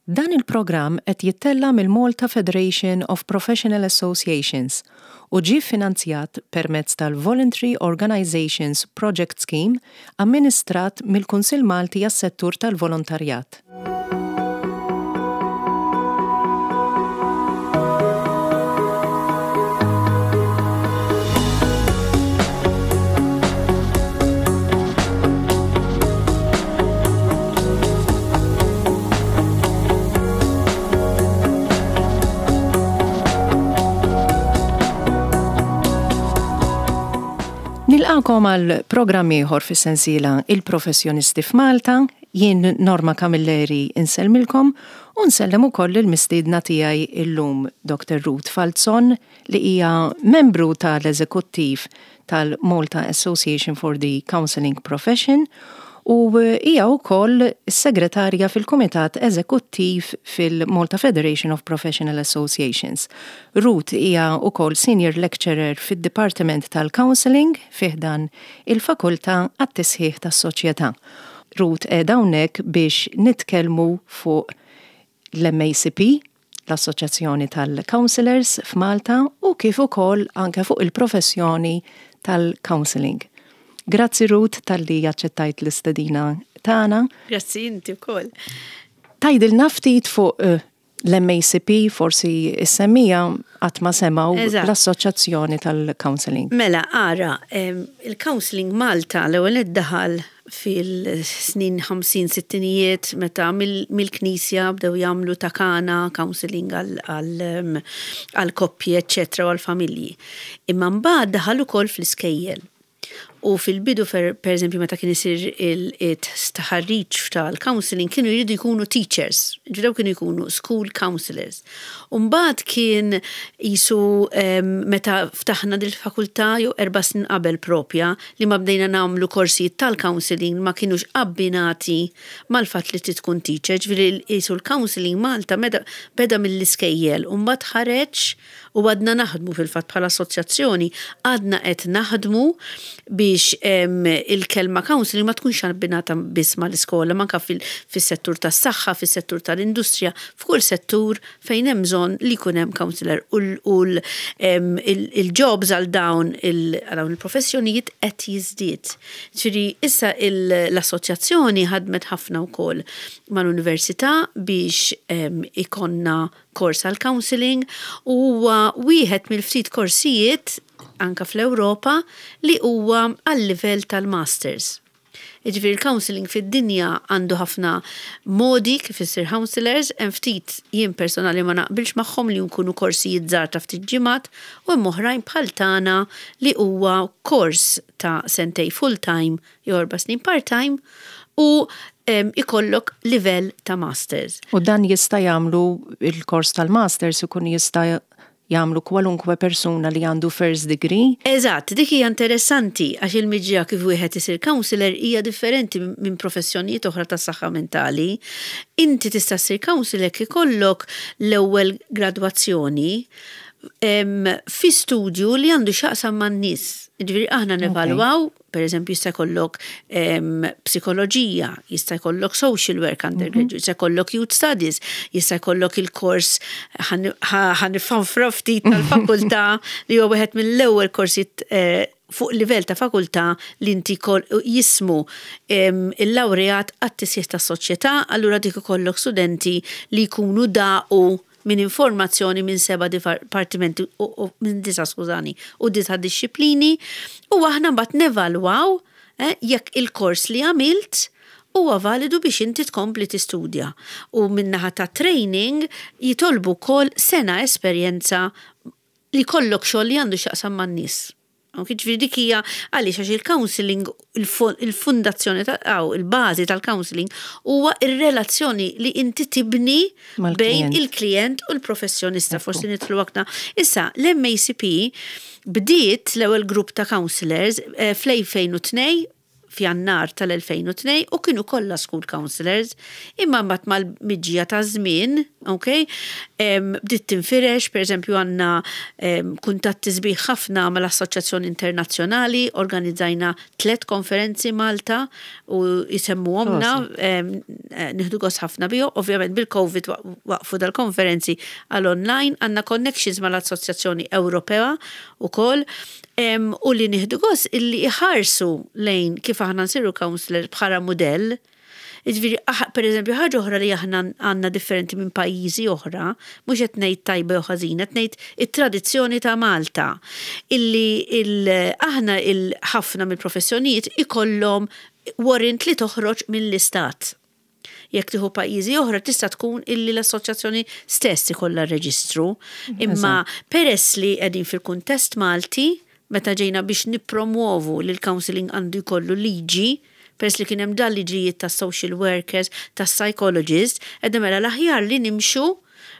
Dan il-programm qed jittella' mill-Malta Federation of Professional Associations u ġie ffinanzjat permezz tal-Voluntary Organisations Project Scheme amministrat mill-Kunsill Malti għas-Settur tal-Volontarjat. Nilqakom għal programm ieħor fis-sensiela Il-Professjonisti f'Malta. Jien Norma Camilleri insellmilkom u nsellem ukoll il-mistiedna tiegħi illum Dr. Ruth Falzon li hija membru tal-eżekuttiv tal-Malta Association for the Counselling Profession u hija wkoll is-segretarja fil-Kumitat Eżekuttiv fil-Malta Federation of Professional Associations. Ruth hija wkoll Senior Lecturer fid-Dipartiment tal-Counselling fi ħdan il-Fakultà għat-Tisħiħ tas-Soċjetà. Ruth qiegħda hawnhekk biex nitkellmu fuq l-MACP, l-Assoċjazzjoni tal-Counsellors f'Malta u kif ukoll anke fuq il-professjoni tal-counselling. Grazzi Ruth talli aċċettajt l-istedina tagħna. Grazzi inti wkoll. Tgħidilna ftit fuq eh, l-MACP forsi issemmija qatt ma semgħu l-Assoċjazzjoni tal-Counselling. Mela, ara, il-Counselling Malta l-ewwel daħal fil-snin 50 sittinijiet meta mill-knisja bdew jagħmlu ta' kana counselling għal koppji eċċetera u għal familji. Imma mbagħad daħal ukoll fl-iskejjel. U fil-bidu per eżempju meta kien isir il-taħriġ tal-counselling kienu jridu jkunu teachers, ġifieri kienu jkunu school counselors. U mbagħad kien qisu meta ftaħna dil-fakultà jew erba' snin qabel propja li ma bdejna nagħmlu korsijiet tal-counselling ma kinux abbinati mal-fatt li trid tkun teacher, ġifieri qisu l-counselling Malta beda mill-iskejjel u mbagħad ħareġ u għadna naħdmu fil-fatt bħala assoċjazzjoni għadna qed naħdmu biex il-kelma counselling ma tkunx abbinata biss mal-iskola, ma anke fis-settur tas-saħħa, fis-settur tal-industrija, f'kull settur fejn hemm bżonn li jkun hemm counselor u l-jobs għal dawn il-professjonijiet qed jiżdied. Ġifieri issa l-assoċjazzjoni ħadmet ħafna wkoll mal-università biex ikollna kors għal counselling u huwa wieħed mill-ftit korsijiet anke fl-Ewropa li huwa għal-livell tal-masters. Jiġifieri l-counselling fid-dinja għandu ħafna modi kif issir counsellors, hemm ftit jien personali ma naqbilx magħhom li jkunu korsijiet żgħar ta' ftit ġimgħat u hemm oħrajn bħal tagħna li huwa kors ta' sentej full time jew erba' snin part time u ikollok livell ta' masters. U dan jista' jagħmlu il-kors tal-masters ikun jista' jagħmlu kwalunkwe persuna li għandu first degree? Eżatt, dik hija interessanti għax il-miġja kif wieħed isir counselor hija differenti minn professjonijiet oħra tas-saħħa mentali. Inti tista' ssir counselor jekk ikollok l-ewwel gradwazzjoni fi studju li għandu x'jaqsam man-nies. Jiġifieri aħna nevalwaw Per eżempju, jista' jkollok psikoloġija, jista' jkollok social work mhm. undergraduate, jista' jkollok youth studies, jista' jkollok il-kors ħanifanfra ftit tal-fakultà li huwa wieħed mill-ewwel korsijiet eh, fuq livell ta' fakultà li inti jismu il-lawreat għat-tisjieħ tas-soċjetà, allura dik ikollok studenti li jkunu daqu minn informazzjoni minn seba' dipartimenti u minn disa' skużani u disa' dixxiplini u aħna mbagħad nevalwaw eh, jekk il-kors li għamilt huwa validu biex inti tkompli tistudja. U min-naħa ta' training jitolbu wkoll sena esperjenza li jkollok xogħol li għandu x'jaqsam man-nies. Ok, ġifieri dik hija għaliex għax il-counselling il-fundazzjoni ta' il-bażi tal-counselling huwa ir-relazzjoni li inti tibni bejn il-klijent u l-professjonista. Forsi nidħlu aktar. Issa, l-MACP bdiet l-ewwel grupp ta' counselors eh, fl-2002. f'Jannar tal-2002 u kienu kollha school counselors, imma mbagħad mal-miġja taż-żmien, ok, bdiet tinfirex, pereżempju għandna kuntatti sbieħ ħafna mal-Assoċjazzjoni Internazzjonali, organizzajna tlett konferenzi Malta u jsemmuhomna, nieħdu gost ħafna bihom, ovvjament bil-Covid waqfu dal-konferenzi għal online, għandna connections mal-Assoċjazzjoni Ewropea ukoll, u li nieħdu gost illi iħarsu lejn kif aħna nsiru counselor bħala mudell. Jiġifieri, per eżempju, ħaġa oħra li aħna għandna differenti minn pajjiżi oħra, mhux qed ngħid tajba jew ħażina, qed ngħid it-tradizzjoni ta' Malta, illi aħna ħafna mill-professjonijiet ikollhom warrant li toħroġ mill-istat. Jekk tieħu pajjiżi oħra tista' tkun illi l-assoċjazzjoni stess ikollha reġistru. Imma peress li qegħdin fil-kuntest Malti, meta ġejna biex nippromuovu li l-counselling għandu jkollu liġi, peress li kien hemm dan liġijiet ta' social workers, ta' psychologists, għedna mela l-aħjar li nimxu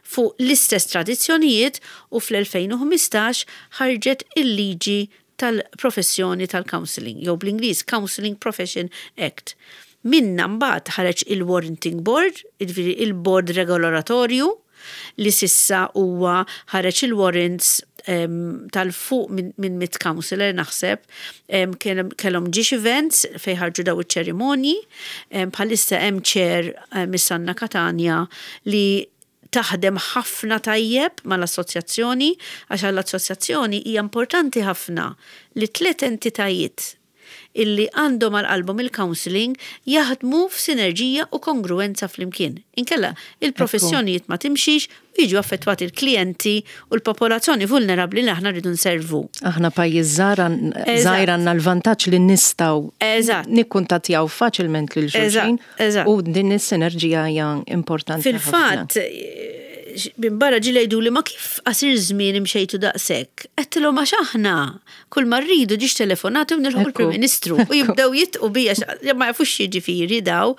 fuq l-istess tradizzjonijiet u fl-2015 ħarġet il-liġi tal-professjoni tal-counselling, jew bl-Ingliż Counselling Profession Act. Minna mbagħad ħareġ il-Warranting Board, jiġifieri il-board regolatorju li sissa huwa ħareġ il-warrants tal fuq minn 100 counselor naħseb, kellhom ġiex events fejn ħarġu daw iċ-ċerimonji, bħalissa hemm chair Miss Anna Catania li taħdem ħafna tajjeb mal-assoċjazzjoni, għax għall-assoċjazzjoni hija importanti ħafna li tliet entitajiet illi għandhom għal qalbhom il-counselling jaħdmu f'sinerġija u kongruenza flimkien. Inkella il-professjonijiet ma timxix u jiġu affettwati l-klijenti u l-popolazzjoni vulnerabbli li aħna rridu nservu. Aħna pajjiż żgħir għandna l-vantaġġ li nistgħu nikkuntattjaw faċilment lil xulxin u din is-sinerġija hija importanti. Fil-fatt, minn barra ġieli jgħidu li ma kif qasir żmien imxejtu daqshekk. Għedtilhom għax aħna kull ma rridu ġiex telefonati u nilħu l-Prim Ministru u jibdew jitqu bija ma jafux jiġifieri daw.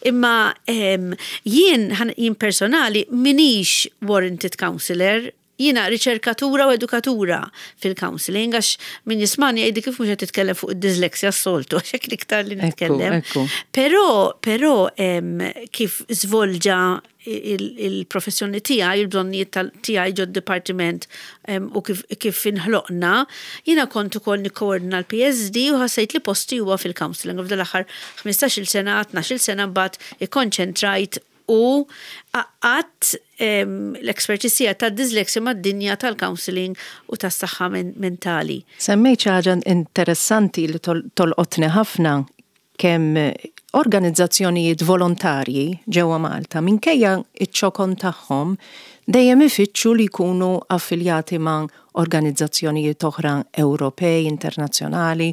Imma jien jien personali minix warranted counselor, jiena riċerkatura u edukatura fil-counseling, għax min jismani jgħidi kif mhux qed titkellem fuq id-dyslexia s-soltu, għax hekk iktar li nitkellem. Però, però kif żvolġa il-professjoni tiegħi, il-bżonnijiet tiegħi ġod dipartiment u kif inħloqna, jiena kont ukoll nikkoordina l-PSD u ħassejt li posti huwa fil-counseling. U f'dal-aħħar 15-il sena, 12-il sena mbagħad ikkonċentrajt u għaqqadt l-expertise tiegħi tad-dyslexia mad-dinja tal-counseling u tas-saħħa mentali. Semmejt xi ħaġa interessanti li tolqotni ħafna kemm organizzazzjonijiet volontarji ġewwa Malta minkejja iċ-ċokon tagħhom dejjem ifittxu li jkunu affiljati ma' organizzazzjonijiet oħra Ewropej, internazzjonali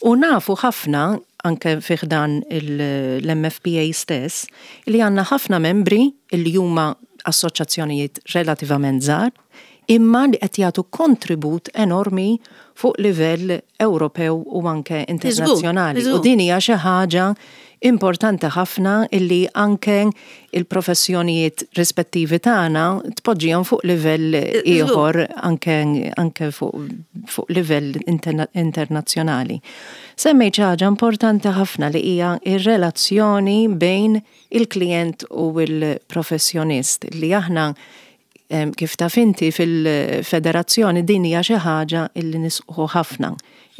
u nafu ħafna anke fi ħdan l-MFPA stess li għandna ħafna membri li huma assoċjazzjonijiet relativament żgħar imma li qed jagħtu kontribut enormi fuq livell Ewropew u anke internazzjonali. U din hija xi ħaġa importanti ħafna illi anke il-professjonijiet rispettivi tagħna tpoġġihom fuq livell ieħor anke, anke fuq livell internazzjonali. Semmejt xi ħaġa importanti ħafna li hija ir-relazzjoni bejn il-klient u l-professjonist li aħna kif taf inti fil-federazzjoni din hija xi ħaġa illi nisqu ħafna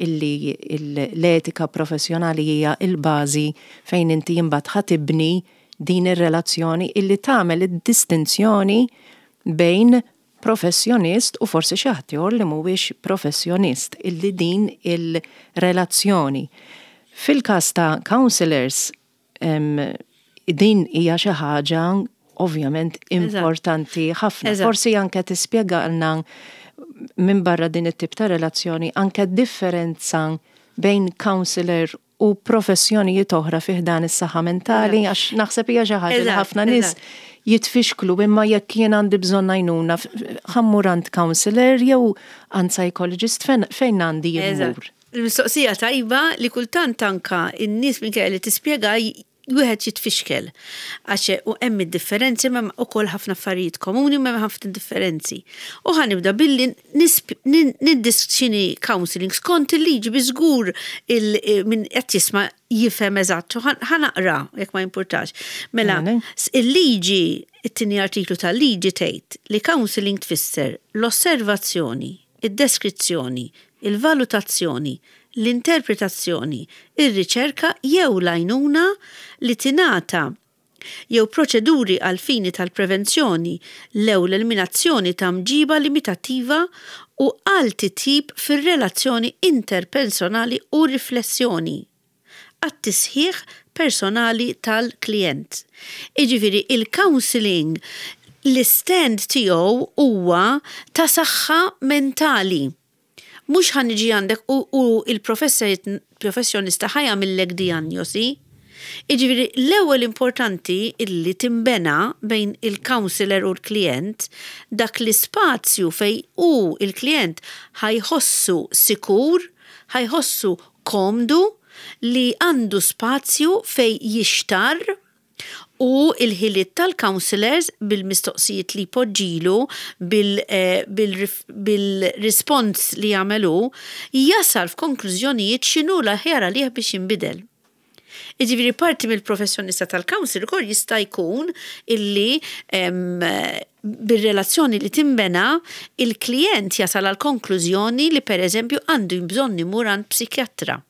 illi l-etika professjonali hija il-bażi fejn inti imbagħad ħa tibni din ir-relazzjoni illi tagħmel id-distinzjoni bejn professjonist u forsi xi ħadd ieħor li mhuwiex professjonist illi din il-relazzjoni. Fil-każ ta' counselors din hija xi ħaġa ovvjament importanti ħafna. Forsi anke tispjegalna minn barra din it-tip ta' relazzjoni anke differenza bejn counselor u professjonijiet oħra fi ħdan is-saħħa mentali għax naħseb hija xi ħaġa li ħafna nies jitfixklu imma jekk jien għandi bżonn għajnuna ħa mmur għand counselor jew għand psychologist fejn għandi jien immur. Il-mistoqsija tajba li kultant anka in-nies minn li tispjega. Wieħed jitfixkel għax u hemm id-differenzi ma ukoll ħafna affarijiet komuni ma ħafna differenzi. U ħa nibda billi x'inhi counselling skont il-liġi bi żgur min qed jisma' jifhem eżatt. Ħa naqra jekk ma jimpurtax. Mela, il-liġi, it-tieni artiklu tal-liġi tgħid li counselling tfisser l-osservazzjoni, id-deskrizzjoni, il-valutazzjoni, l-interpretazzjoni, ir-riċerka jew l-għajnuna li tingħata jew proċeduri għall-fini tal-prevenzjoni lew l-eliminazzjoni ta' mġiba limitattiva u għal titjib fir-relazzjoni interpersonali u riflessjoni għat-tisħiħ personali tal-klijent. Jiġifieri il-counselling l-istand tiegħu huwa ta' saħħa mentali. Mhux ħa niġi għandek u, u il-professjonista ħa jagħmillek dijanjosi. Jiġifieri l-ewwel importanti illi tinbena bejn il-counselor u l-klijent dak l-ispazju fejn hu il-klijent ħa jħossu sikur, ħa jħossu komdu li għandu spazju fejn jixtarr u l-ħiliet tal-counsellors bil-mistoqsijiet li jpoġġilu, bil-rispons li jagħmel hu, jasal f'konklużjonijiet x'inhu l-aħjar għalih biex jinbidel. Jiġifieri parti mill-professjonista tal-counsellor ukoll jista' jkun illi bir-relazzjoni li tinbena, il-klijent jasal għall-konklużjoni li pereżempju għandu bżonn imur għand psikjatra.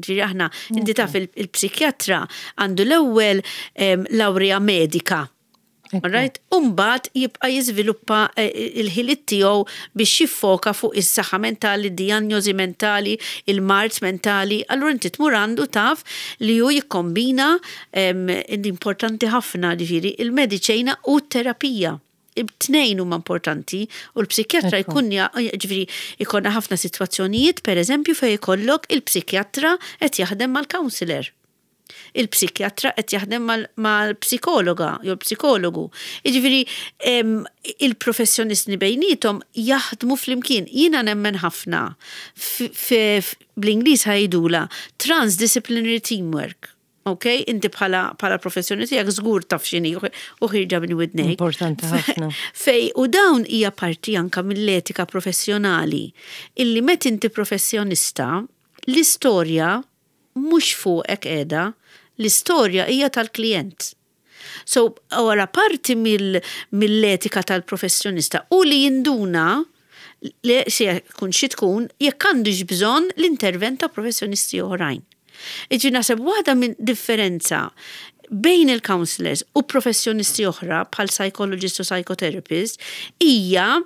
Ġifieri aħna, inti taf il-psikjatra għandu l-ewwel lawrija medika. Right? Umbagħad jibqa' jiżviluppa eh, il-ħiliet tiegħu biex jiffoka fuq is-saħħa mentali, dijanjosi mentali, il-mard mentali. Allura inti tmur għandu taf li hu jikkombina importanti ħafna ġifieri il-mediċina u t-terapija. It-tnejn huma importanti u l-psikjatra jkun ġifieri jkollna ħafna sitwazzjonijiet pereżempju fejn ikollok il-psikjatra qed jaħdem mal-counselor. Il-psikjatra qed jaħdem mal-psikologa jew l-psikologu. Jiġifieri il-professjonisti bejniethom jaħdmu flimkien. Jiena nemmen ħafna bl-Ingliż ħa jgħidulha transdisciplinary teamwork. Ok, inti bħala bħala professjoni tiegħek żgur taf x'inhi u ħirġa minn widnejk. Importanti ħafna. Fej u dawn hija parti anka mill-etika professjonali illi met inti professjonista l-istorja mhux fuqek qiegħda, l-istorja hija tal-klijent. So, wara parti mill-etika tal-professjonista u li jinduna li se jkun xi tkun jekk għandux bżonn l-intervent ta' professjonisti oħrajn. Iġi naħseb waħda minn differenza bejn il-counselors u professjonisti oħra bħal psychologist u psychotherapist hija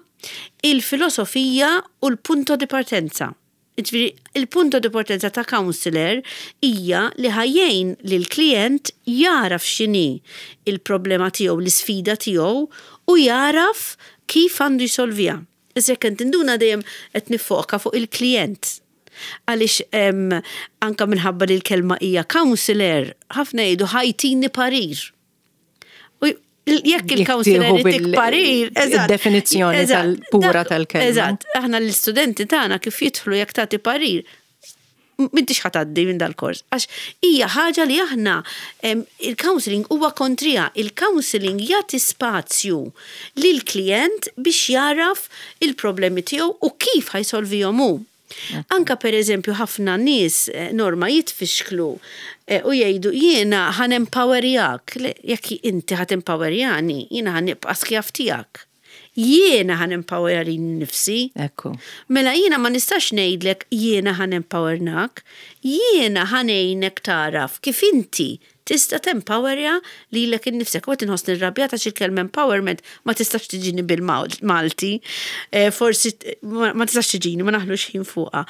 il-filosofija u l-punto di partenza. Jiġifieri, il-punto di partenza ta' counselor hija li ħa jgħin lill-klijent jagħraf x'inhi l-problema tiegħu, l-isfida tiegħu u jagħraf kif għandu jsolviha. Issa jekk qed tinduna dejjem qed niffoka fuq il-klijent. Għaliex anke minħabba li l-kelma hija counselor, ħafna jgħidu ħa jtini parir. U jekk il-counselor jtik parir, eżatt. Definizzjoni tal-pura tal-kelma. Eżatt, aħna l-istudenti tagħna kif jidħlu jekk tagħti parir, m'intix ħa tgħaddi minn dal-kors. Għax hija ħaġa li aħna il-counseling huwa kontrija. Il-counseling jagħti spazju lil klient biex jaraf il-problemi tiegħu u kif ħa jsolvihom hu. Anka per eżempju ħafna nies eh, norma jitfixklu eh, u jgħidu jiena ħa nempowerjak, jekk inti ħa tempowerjani, jiena ħa nibqa' skjav tiegħek. Jiena ħa nempowerja nifsi. Ekku. Mela jiena ma nistax ngħidlek jiena ħa nempowernak, jiena ħa ngħinek taraf kif inti Tista' tempowerja lilek innifsek. U qed inħossni rrabjata għax il-kelma empowerment ma tistax tiġini bil-Malti. Eh, forsi ma tistax tiġini, ma naħlux ħin fuqha.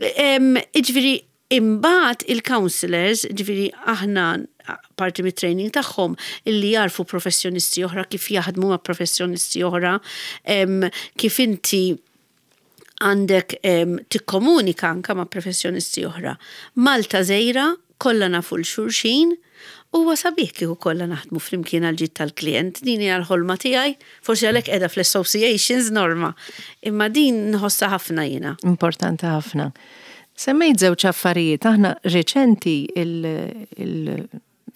Iġifieri imbagħad il-counselors, ġifieri aħna parti mit-training tagħhom illi jarfu professjonisti oħra kif jaħdmu ma' professjonisti oħra, kif inti għandek tikkomunika anka ma' professjonisti oħra. Malta żgħira, kollha nafu 'l xulxin, huwa sabiħ kieku kollha naħdmu flimkien għall-ġid tal-klijent. Din hija l-ħolma tiegħi, forsi għalhekk qiegħda fl-associations Norma, imma din nħossha ħafna jiena. Importanti ħafna. Semmejt żewġ affarijiet, aħna reċenti il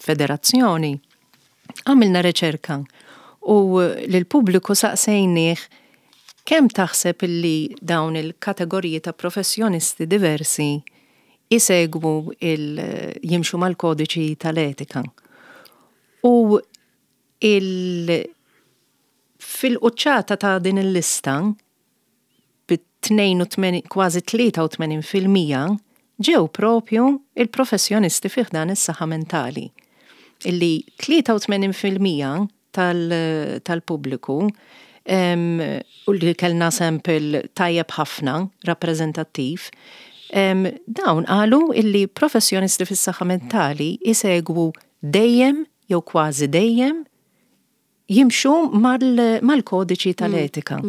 federazzjoni għamilna riċerka u lill-pubbliku saqsejnieh kemm taħseb illi dawn il-kategoriji ta' professjonisti diversi isegwu il jimxu mal-kodiċi tal-etika. U il fil-quċċata ta' din il-lista bi 82 kważi 83% ġew propju il-professjonisti fi ħdan is-saħħa mentali. Illi 83% tal-pubbliku u li kellna sample tajjeb ħafna, rappreżentattiv, dawn qalu illi professjonisti fis-saħħa mentali jsegwu dejjem jew kważi dejjem jimxu mal-kodiċi tal-etika.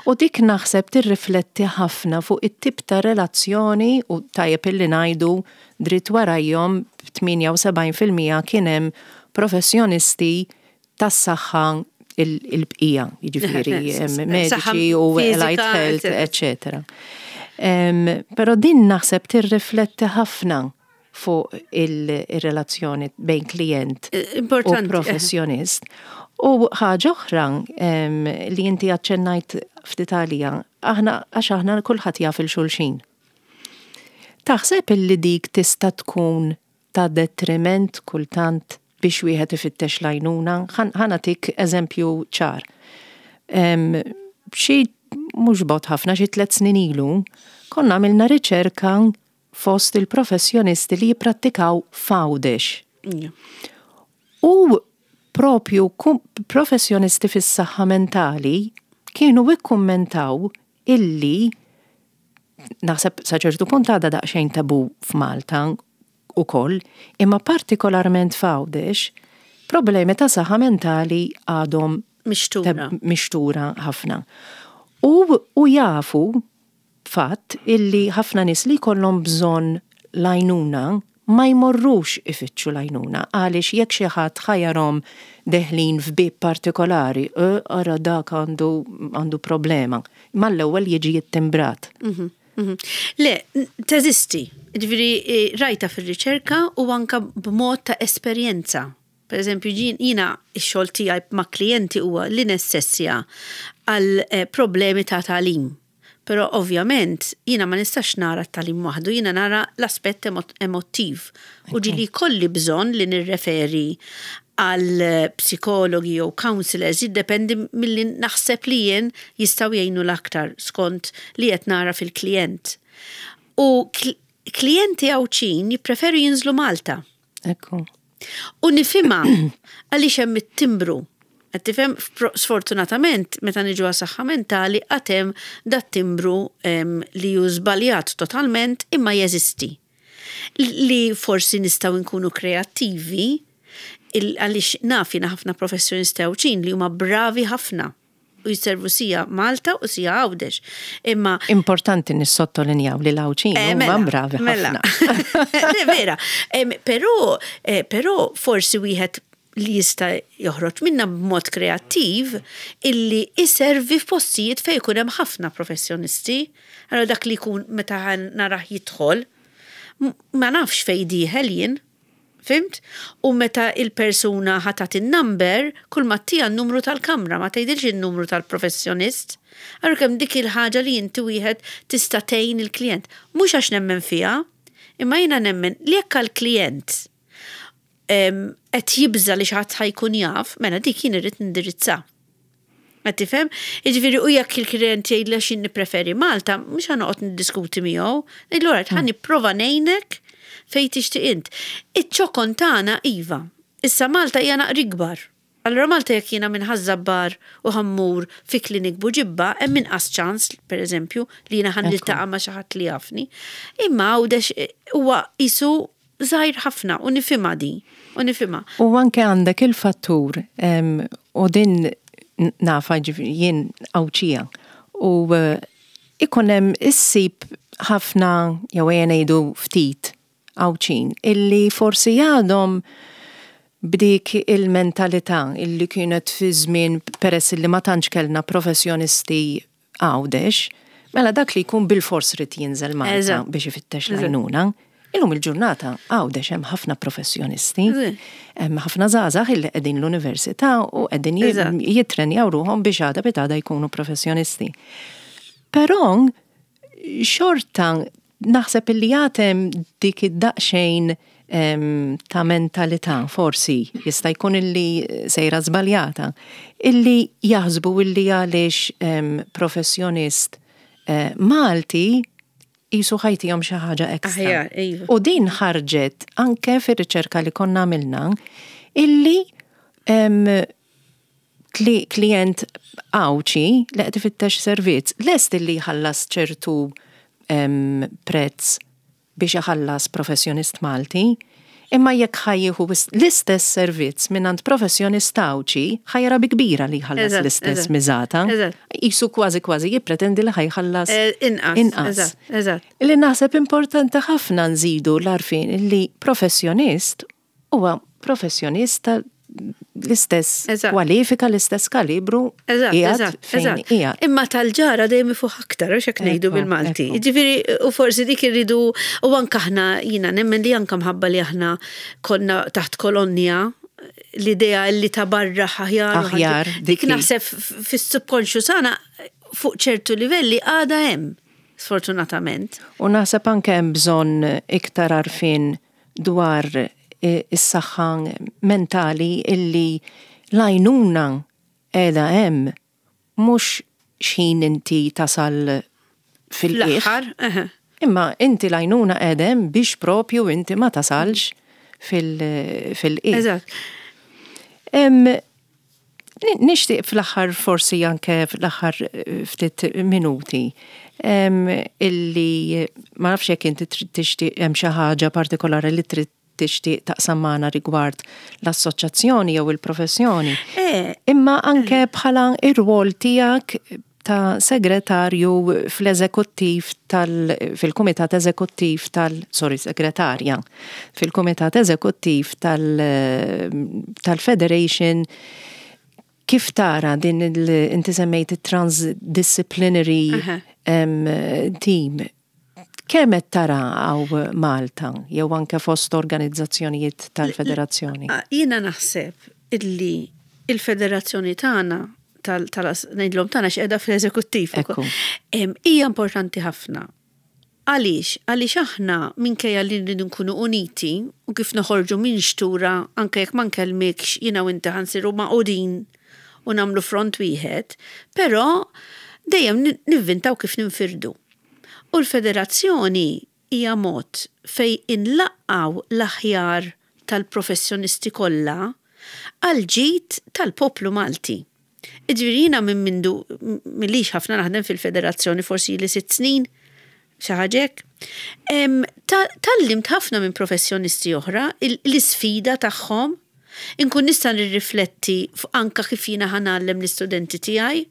U dik naħseb tirrifletti ħafna fuq it-tip ta' relazzjoni u tajjeb illi ngħidu dritt warajhom b'78% kien hemm professjonisti tas-saħħa il-bqija, jiġifieri mediċi u allied health, eċċetera. Però din naħseb tirrifletti ħafna fuq il-relazzjoni bejn klijent u professjonist. U ħaġa oħra li inti aċċennajt ftit għalija, aħna għax aħna kulħadd jaf il-xulxin. Taħseb illi dik tista' tkun ta' detriment kultant biex wieħed ifittex l-għajnuna? Ħa nagħtik eżempju ċar. Xi mhux bogħod ħafna, xi tlett snin ilu, konna għamilna riċerka fost il-professjonisti li jipprattikaw f'Għawdex. U propju professjonisti fis-saħħa mentali kienu ikkummentaw illi naħseb sa ċertu punt għadha daqsxejn tabu f'Malta ukoll, imma partikolarment f'Għawdex, problemi ta' saħħa mentali għadhom mixtura, mixtura ħafna. U, u jafu Fatt illi ħafna nies li jkollhom bżonn l-għajnuna ma jmorrux ifittxu l-għajnuna għaliex jekk xi ħadd ħa jarhom deħlin f'bieb partikolari, eh ara dak għandu għandu problema, mal-ewwel jiġi ittimbrat. Le, teżisti. Jiġifieri rajtha fir-riċerka u anke b'mod ta' esperjenza. Per eżempju, jiena x-xogħol tiegħi ma' klijenti huwa li nessessja għal problemi ta' tagħlim. Però ovvjament jiena ma nistax nara t-tagħlim waħdu, jiena nara l-aspett emottiv. U ġieli jkolli bżonn li nirreferi għal psikologi jew counselors, jiddependi milli naħseb li jien jistgħu jgħinu l-aktar skont li qed nara fil-klijent. U klijenti Għawdxin jippreferu jinżlu Malta. Ekku. U nifhimha għaliex hemm it-timbru. Qed tifhem? Sfortunatament, meta niġu għas saħħa mentali għad hemm dat-timbru li hu żbaljat totalment imma jeżisti. Li forsi nistgħu nkunu kreattivi għaliex naf jiena ħafna professjonisti Għawdxin li huma bravi ħafna. u jservu sija Malta u sija Għawdex. Imma. Importanti nissottolinjaw li l-Għawdxin eh, huma mela, bravi mela. ħafna. Le vera, però eh, però forsi wieħed li jista' joħroġ minna b'mod kreattiv illi iservi f'postijiet fejn ikun hemm ħafna professjonisti. Allora dak li jkun meta narah jidħol, ma nafx fejn dieħel jien. Fhimt? U meta il-persuna ħa tagħti n-number, kull ma ttiha n-numru tal-kamra, ma tgħidilx in-numru tal-professjonist. Allura kemm dik il-ħaġa li inti wieħed tista' tgħin il-klijent. Mhux għax nemmen fiha, imma jiena nemmen li jekk għall-klijent qed jibża' li xi ħadd ħa jkun jaf, mela dik jien irrid nindirizza. Qed tifhem? Jiġifieri u jekk il-klient jgħidli għax jien nippreferi Malta, mhux ħa noqgħod niddiskuti miegħu. Ngħidlu alright, ħa nipprova ngħinek fejn tixtieq int. Iċ-ċokon tagħna iva. Issa Malta hija naqra ikbar. Allura Malta jekk jiena minn Ħaż-Żabbar u ħa mmur fi klinik Buġibba, hemm inqas ċans, pereżempju, li jiena ħa niltaqa' ma' xi ħadd li jafni. Imma Għawdex huwa qisu żgħir ħafna u nifhimha din, u nifhimha. U anke għandek il-fattur, u din nafha jiġifieri jien Għawdxija, u ikun hemm issib ħafna jew ejja ngħidu ftit Għawdxin illi forsi għadhom b'dik il-mentalità illi kienet fi żmien peress illi ma tantx kellna professjonisti Għawdex, mela dak li jkun bilfors ried jinżel Malta biex ifittex l-għajnuna. Illum il-ġurnata Għawdex hemm ħafna professjonisti, hemm ħafna żgħażagħ illi qegħdin l-università u qegħdin jittrenjaw ruħhom biex għada pitgħada jkunu professjonisti. Però xorta naħseb illi għad hemm dik id-daqsxejn ta' mentalità, forsi jista' jkun illi sejra żbaljata, illi jaħsbu illi għaliex professjonist eh, Malti qisu ħa jtihom xi ħaġa extra. Aħjar, iva. U din ħarġet anke fir-riċerka li konna għamilna illi klient Għawdxi li qed ifittex servizz lest illi jħallas ċertu prezz biex iħallas professjonist Malti, imma jekk ħa jieħu l-istess servizz mingħand professjonist Għawdxi, ħa jara bi kbira li jħallas l-istess miżata. Qisu kważi kważi jippretendi li ħa jħallas inqas. Li naħseb importanti ħafna nżidu l-għarfien li professjonist huwa professjonist ta' l-istess kwalifika, l-istess kalibru. Eżatt, eżatt. Imma tal-ġara dejjem ifuħ aktar, għax hekk ngħidu bil-Malti. Ġifieri, u forsi dik irridu, u anke aħna jiena nemmen li anke mħabba li aħna konna taħt kolonja, l-idea li ta' barra aħjar. Aħjar. Dik naħseb fis-subconscious għana fuq ċertu livelli għada hemm, sfortunatament. U naħseb anke hemm bżonn iktar għarfien dwar is-saħħa mentali illi l-għajnuna qiegħda hemm mhux x'ħin inti tasal fil-qiegħ. Imma inti l-għajnuna qiegħda hemm biex propju inti ma tasalx fil-qiegħ. Eżatt. Nixtieq fl-aħħar forsi anke fl-aħħar ftit minuti illi ma nafx jekk inti trid tixtieq hemm xi ħaġa partikolari li trid tixtieq taqsam magħna rigward l-assoċjazzjoni jew il-professjoni. Imma anke bħala ir-rwol tiegħek ta' segretarju fl-eżekuttiv tal fil-kumitat eżekuttiv tal sorry segretarja fil-kumitat eżekuttiv tal tal-Federation kif tara din il inti semmejt it-transdisciplinary team kemm qed tara hawn Malta jew anke fost organizzazzjonijiet tal-federazzjoni? Jiena naħseb illi il-federazzjoni tagħna tal ngħidlhom tagħna x'qiegħda fl-eżekuttiv. Hija importanti ħafna. Għaliex? Għaliex aħna minkejja li nridu nkunu uniti u kif noħorġu minn xtura anke jekk ma nkellmikx jiena u inti ħa nsiru magħqudin u nagħmlu front wieħed, però dejjem nivvintaw kif ninfirdu. U l-federazzjoni hija mod fejn inlaqqgħu l-aħjar tal-professjonisti kollha għall-ġid tal-poplu Malti. Jiġifieri jiena minn mindu m'ilix ħafna naħdem fil-federazzjoni, forsi ili sitt snin, xi ħaġa hekk, tgħallimt ħafna minn professjonisti oħra l-isfida tagħhom Inkun nista' nirrifletti fuq anke kif jiena ħa ngħallem l-istudenti tiegħi.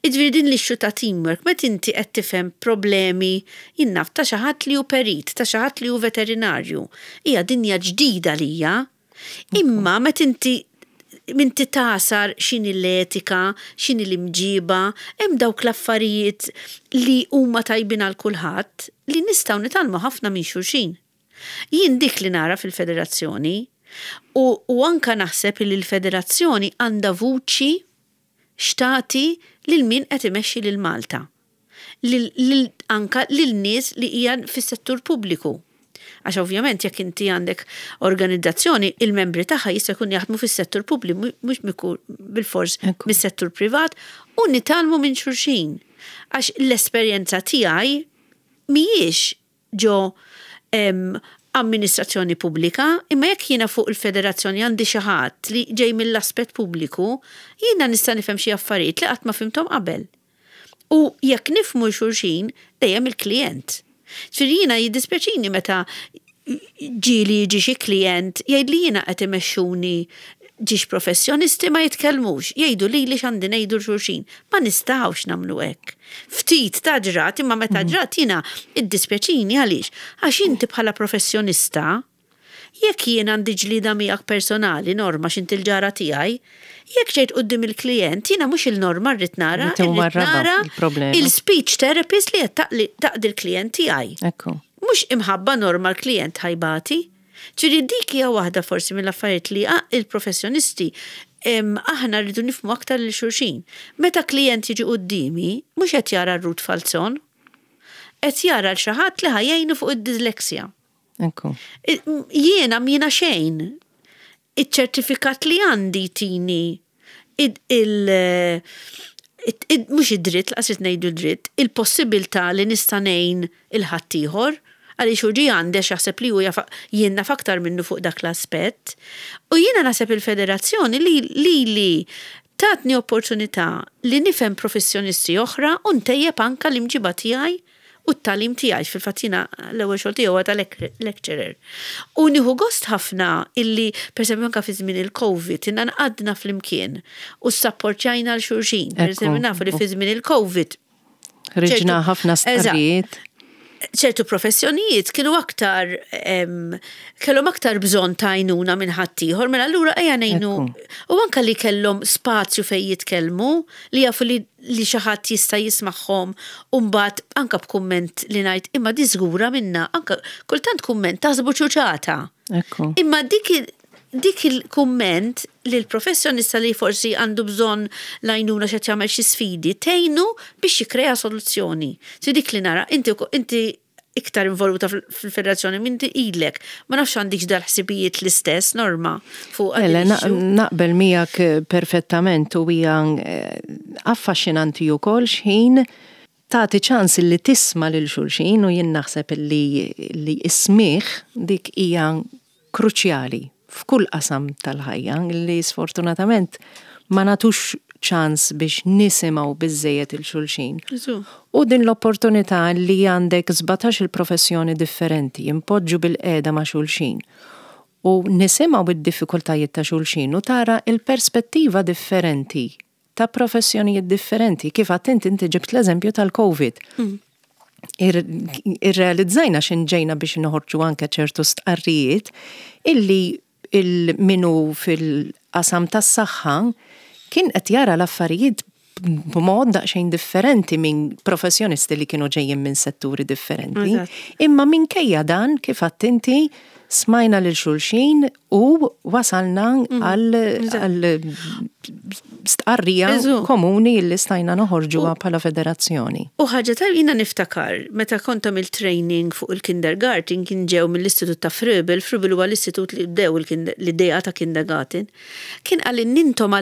Jiġifieri din l-issue ta' teamwork, meta inti qed tifhem problemi, jien naf, ta' xi ħadd li hu perit, ta' xi ħadd li hu veterinarju. Hija dinja ġdida għalija. Imma meta inti inti tagħsar x'inhi l-etika, x'inhi l-imġiba, hemm dawk l-affarijiet li huma tajbin għal kulħadd li nistgħu nitgħallmu ħafna minn xulxin. Jien dik li nara fil-federazzjoni u u anka naħseb li l-federazzjoni għandha vuċi x'tagħti lil min qed imexxi lil Malta. Lil lil anka lil nies li hija fis-settur pubbliku. Għax ovvjament jekk inti għandek organizzazzjoni, il-membri tagħha jista' jkun jaħdmu fis-settur pubbliku mhux bilfors mis-settur privat u nitgħallmu minn xulxin. Għax l-esperjenza tiegħi mhijiex ġo amministrazzjoni pubblika, imma jekk jiena fuq il-federazzjoni għandi xi ħadd li ġej mill-aspett pubbliku, jiena nista' nifhem xi affarijiet li qatt ma fhimthom qabel. U jekk nifhmu 'l xulxin, dejjem il-klijent. Ġifieri jiena jiddispjaċini meta ġieli jiġi xi klijent jgħidli jiena qed imexxuni ġiex professjonisti ma jitkellmux, jgħidu lili x'għandi ngħidu 'l xulxin. Ma nistgħux nagħmlu hekk. Ftit ta' ġrat, imma meta ġrat jiena iddispjaċini għaliex? Għax inti bħala professjonista, jekk jien għandi ġlieda miegħek personali, Norma x'inti l-ġara tiegħi, jekk ġejt quddiem il-klijent jiena mhux il-Norma rrid nara, irrid nara il-speech therapist li qed taqdi l-klijent tiegħi. Mhux imħabba Norma l-klijent ħa jbati. Ġifieri dik hija waħda forsi mill-affarijiet li il-professjonisti aħna rridu nifhmu aktar lil xulxin. Meta klijent jiġi quddiemi, mhux qed jara r-Ruth Falzon. Qed jara 'l xi ħadd li ħa jgħinu fuq id-dyslexia. Jiena m'jiena xejn. Iċ-ċertifikat li għandi jtini il mhux id-dritt, laqas irid ngħidu dritt, il-possibilità li nista' ngħin il-ħaddieħor, għaliex hu ġie għandi għax jaħseb li hu jaf jien naf aktar minnu fuq dak l-aspett. U jiena naħseb il-federazzjoni li lili tatni opportunità li nifhem professjonisti oħra u ntejjeb anke l-imġiba tiegħi u t-tagħlim tiegħi, għax fil-fatt jiena l-ewwel xogħol tiegħi huwa ta' lecturer. U nieħu gost ħafna illi, pereżempju anke fi żmien il-Covid, inna nqadna flimkien u ssapportjajna 'l xulxin. Pereżempju nafu li fi żmien il-Covid. Ħriġna ħafna stqarrijiet. Ċertu professjonijiet kienu aktar kellhom aktar bżonn ta' għajnuna minn ħaddieħor, mela allura ejja ngħinu. U anke li kellhom spazju fejn jitkellmu, li jafu li li xi ħadd jista' jismagħhom u mbagħad anke b'kumment li ngħid imma di żgura minnha, anke kultant kumment taħsbu ċuċata. Imma dik dik il-kumment li l-professjonista li forsi għandu bżonn l-għajnuna x'qed jagħmel xi sfidi, tgħinu biex jikkrea soluzzjoni. Si dik li nara, inti inti iktar involuta fil-federazzjoni minn ilek. Ma nafx għandikx dal-ħsibijiet l-istess, Norma, fuq Ele, naqbel miegħek eh, perfettament u hija eh, affaxxinanti wkoll x'ħin tagħti ċans li tisma' lil xulxin u jien naħseb li li ismih dik hija kruċjali f'kull qasam tal-ħajja li sfortunatament ma nagħtux ċans biex nisimgħu biżżejjed 'il xulxin. U din l-opportunità li għandek 17-il professjoni differenti jinpoġġu bilqiegħda ma' xulxin u nisimgħu d-diffikultajiet ta' xulxin u tara l-perspettiva differenti ta' professjonijiet differenti. Kif għadt inti, inti ġibt l-eżempju tal-Covid. Mm. Irrealizzajna xin ġejna biex noħorġu anke ċertu stqarrijiet illi il-minu fil-qasam tas-saħħa kien qed jara l-affarijiet b'mod daqsxejn differenti minn professjonisti li kienu ġejjin minn setturi differenti. Imma minkejja dan, kif għadt inti, smajna lil xulxin u wasalna mm. għal stqarrija komuni li stajna noħorġuha bħala federazzjoni. U ħaġa tal jiena niftakar meta kont għamilt training fuq il-kindergarten kien ġew mill-istitut ta' Fröbel, Fröbel huwa l-istitut li bdew l-idea ta' kindergarten, kien qal intom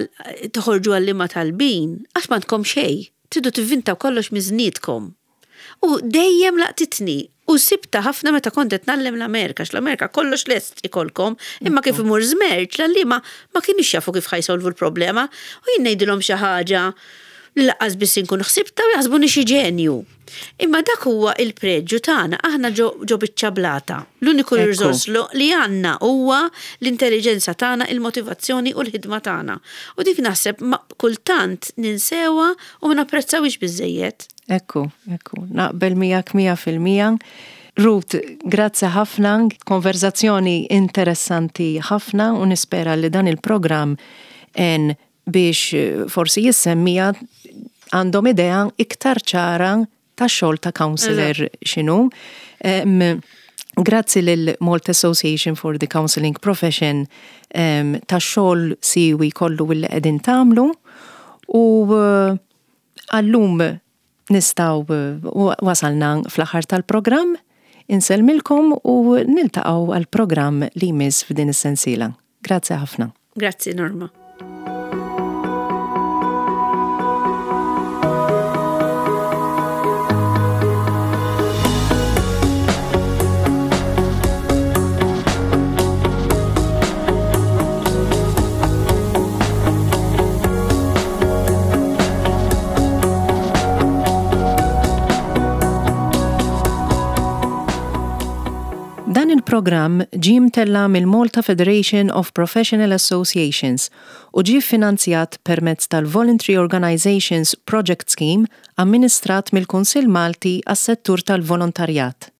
toħorġu għalliema talbin għax m'għandkom xejn, tridu tivvintaw kollox miż-żniedkom. U dejjem laqtitni u sibtha ħafna meta kont qed ngħallem l-Amerika, għax l-Amerika kollox lest ikolkom, imma kif imur żmerġ l-għalliema ma kinux jafu kif ħa jsolvu l-problema u jien ngħidilhom xi ħaġa li lanqas biss inkun ħsibtha u jaħsbuni xi ġenju. Imma dak huwa il-preġju tagħna, aħna ġo biċċa blata. L-uniku riżors li għandna huwa l-intelliġenza tagħna, il-motivazzjoni u l-ħidma tagħna. U dik naħseb kultant ninsewha u ma napprezzawhiex biżżejjed. Ekku, ekku, naqbel miegħek 100%. Ruth, grazzi ħafna, konverzazzjoni interessanti ħafna u nispera li dan il-programm għen biex eh, forsi jissemmija għandhom idea iktar ċara ta' xogħol ta' counselor x'inhu. Grazzi lil Malta Association for the Counseling Profession ta' xogħol siwi kollu li qegħdin tagħmlu u eh, Għal-lum nistgħu wasalna fl-aħħar tal-programm. Insellmilkom u niltaqgħu għall-programm li jmiss f'din is-sensiela. Grazzi ħafna. Grazzi Norma. Dan il-programm ġie mtella' mill-Malta Federation of Professional Associations u ġie ffinanzjat permezz tal-Voluntary Organisations Project Scheme amministrat mill-Kunsill Malti għas-Settur tal-Volontarjat.